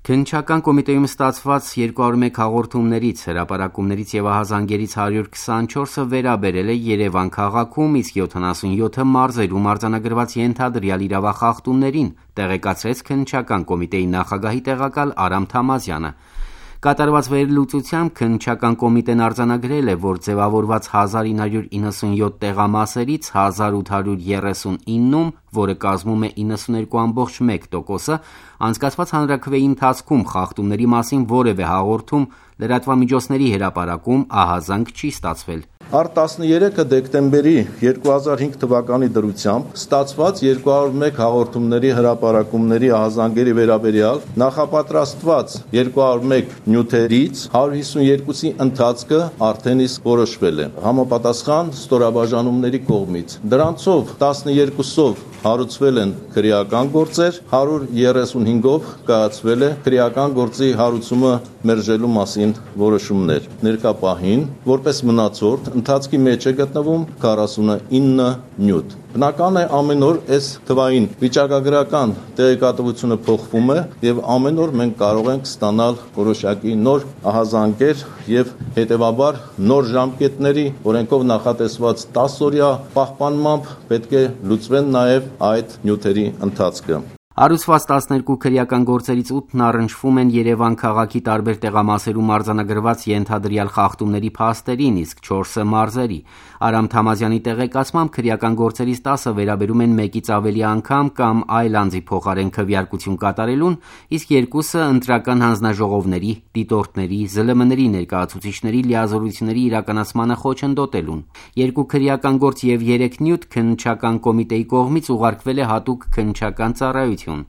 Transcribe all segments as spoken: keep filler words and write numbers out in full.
Քննչական կոմիտեում ստացված երկու հարյուր մեկ հաղորդումներից, հրապարակումներից և ահազանգերից հարյուր քսանչորսը վերաբերել է Երևան քաղաքում, իսկ յոթանասունյոթը մարզերում արձանագրված ենթադրյալ իրավախախտումներին, տեղեկացրեց քննչական կոմիտեի նախագահի տեղակալ Արամ Թամազյանը։ Կատարված վերլուծությամբ քննչական կոմիտեն արձանագրել է, որ ձևավորված հազար ինը հարյուր իննսունյոթ տեղամասերից հազար ութ հարյուր երեսունիննում, որը կազմում է իննսուներկու ամբողջ մեկ տոկոսը, անցկացված հանրաքվեի ընթացքում խախտումների մասին որևէ հաղորդում, լրատվամիջոցների հրապարակում ահազանգ չի ստացվել։ Առ տասներեքը դեկտեմբերի երկու հազար հինգ թվականի դրությամբ ստացված երկու հարյուր մեկ հաղորդումների հրապարակումների ահազանգերի վերաբերյալ նախապատրաստված երկու հարյուր մեկ նյութերից հարյուր հիսունյոթի ընթացքը արդեն իսկ որոշվել է համապատասխան ստորաբաժանումների կողմից։ Դրանցով տասներկուսով հարուցվել են քրեական գործեր, հարյուր երեսունհինգով կայացվել է քրեական գործի հարուցումը մերժելու մասին որոշումներ։ Ներկա պահին, որպես մնացորդ, ընթացքի մեջ է գտնվում քառասունինը նյութ։ Բնական է ամեն օր այս թվային վիճակագրական տեղեկատվությունը փոխվում է եւ ամեն օր մենք կարող ենք ստանալ որոշակի նոր ահազանգեր եւ հետեւաբար նոր ժամկետների օրենքով նախատեսված տասը օրյա պահպանմամբ պետք է լուծվեն նաեւ այդ նյութերի ընթացքը։ Հարուցված տասներկու քրեական գործերից ութն առնչվում են Երևան քաղաքի տարբեր տեղամասերում արձանագրված ենթադրյալ խախտումների փաստերին, իսկ չորսը մարզերի։ Արամ Թամազյանի տեղեկացմամբ քրեական գործերից տասը վերաբերում են մեկից ավելի անգամ կամ այլ անձի փոխարեն քվեարկություն կատարելուն, իսկ երկուսը ընտրական հանձնաժողովների, դիտորդների, ԶԼՄ-ների ներկայացուցիչների լիազորությունների իրականացմանը խոչընդոտելուն։ Երկու քրեական գործ եւ երեք նյութ քննչական կոմիտեի կողմից ուղարկվել է հատուկ քննչական ծառայություն։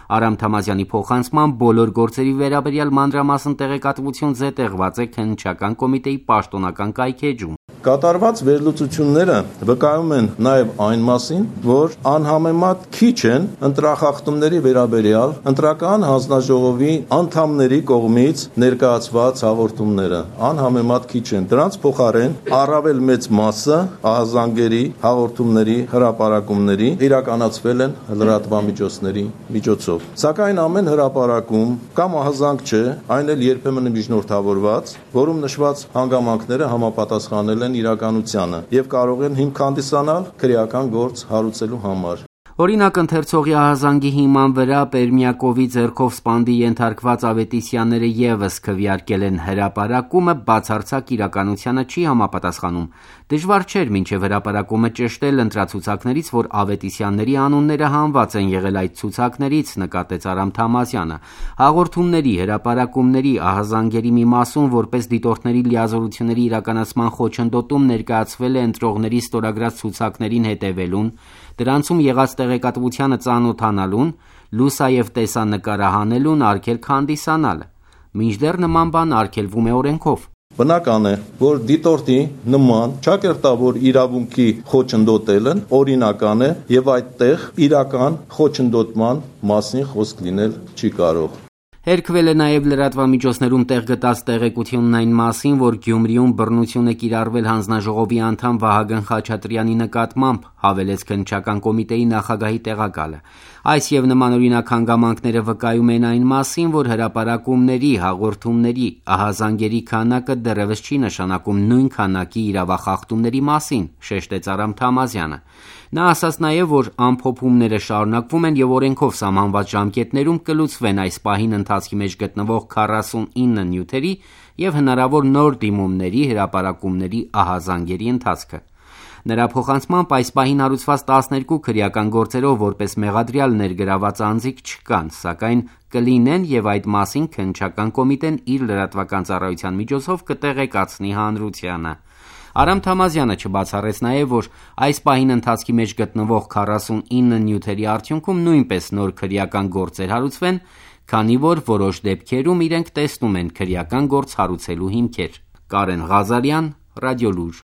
Արամ Թամազյանի փոխանցմամբ բոլոր գործերի վերաբերյալ մանրամասն տեղեկատվություն զետեղված է քննչական կոմիտեի պաշտոնական կայքէջում։ Կատարված վերլուծությունները վկայում են նաև այն մասին, որ անհամեմատ քիչ են ընտրախախտումների վերաբերյալ ընտրական հանձնաժողովի անդամների կողմից ներկայացված հաղորդումները, անհամեմատ քիչ են։ Դրանց փոխարեն առավել մեծ մասը ահազանգերի, հաղորդումների, հրապարակումների իրականացվել են լրատվամիջոցների միջոցով։ Սակայն ամեն հրապարակում կամ ահազանգ չէ, այն էլ երբեմն միջնորդավորված, որում նշված հանգամանքները համապատասխանել են իրականությանը եւ կարող են հիմք հանդիսանալ քրեական գործ հարուցելու համար։ Օրինակ, ընթերցողի ահազանգի հիման վրա Պերմյակովի ձեռքով սպանդի ենթարկված Ավետիսյանները ևս քվեարկել են հրապարակումը, բացարձակ իրականությանը չի համապատասխանում։ Դժվար չէր մինչև հրապարակումը ճշտել ընտրացուցակներից, որ Ավետիսյանների անունները հանված են եղել այդ ցուցակներից, նկատեց Արամ Թամազյանը։ Հաղորդումների, հրապարակումների, ահազանգերի մի մասում որպես դիտորդների լիազորությունների իրականացման խոչընդոտում ներկայացվել է ընտրողների ստորագրած ցուցակներին հետևելուն, դրանցում եղած տեղեկատվությանը ծանոթանալուն, լուսաև տեսանկարահանելուն, արգելք հանդիսանալը։ Մինչդեռ նման բան արգելվում է օրենքով։ Բնական է, որ դիտորդի նման ճակերտավոր իրավունքի խոչընդոտելն օրինական է եւ այդտեղ իրական խոչընդոտման մասին խոսք լինել չի կարող։ Հերքվել է նաև լրատվամիջոցներում տեղ գտած տեղեկությունն այն մասին, որ Գյումրիում բռնություն է կիրառվել հանձնաժողովի անդամ Վահագն Խաչատրյանի նկատմամբ, հավելեց քննչական կոմիտեի նախագահի տեղակալը։ Այս եւ նմանօրինակ հանգամանքները վկայում են այն մասին, որ հրապարակումների, հաղորդումների, ահազանգերի քանակը դեռևս չի նշանակում նույն քանակի իրավախախտումների մասին, շեշտեց Արամ Թամազյանը։ Նա ասաց նաև, որ ամփոփումները շարունակվում են եւ օրենքով սահմանված ժամկետներում կլուծվեն այս պահին ընթացքի մեջ գտնվող քառասունինը նյութերի եւ հնարավոր նոր դիմումների, հրապարակումների, ահազանգերի ընթացքը։ Նրա փոխանցմամբ այս պահին հարուցված տասներկու քրեական գործերով որպես մեղադրյալ ներգրաված անձիկ չկան, սակայն կլինեն եւ այդ մասին քննչական կոմիտեն իր լրատվական ծառայության միջոցով կտեղեկացնի հանրությանը։ Արամ Թամազյանը չբացառեց նաև, որ այս պահին ընթացքի մեջ գտնվող քառասունինը նյութերի արդյունքում նույնպես նոր քրեական գործեր հարուցվեն, քանի որ որոշ դեպքերում իրենք տեսնում են քրեական գործ հարուցելու հիմքեր։ Կարեն Ղազարյան, Ռադիոլուր։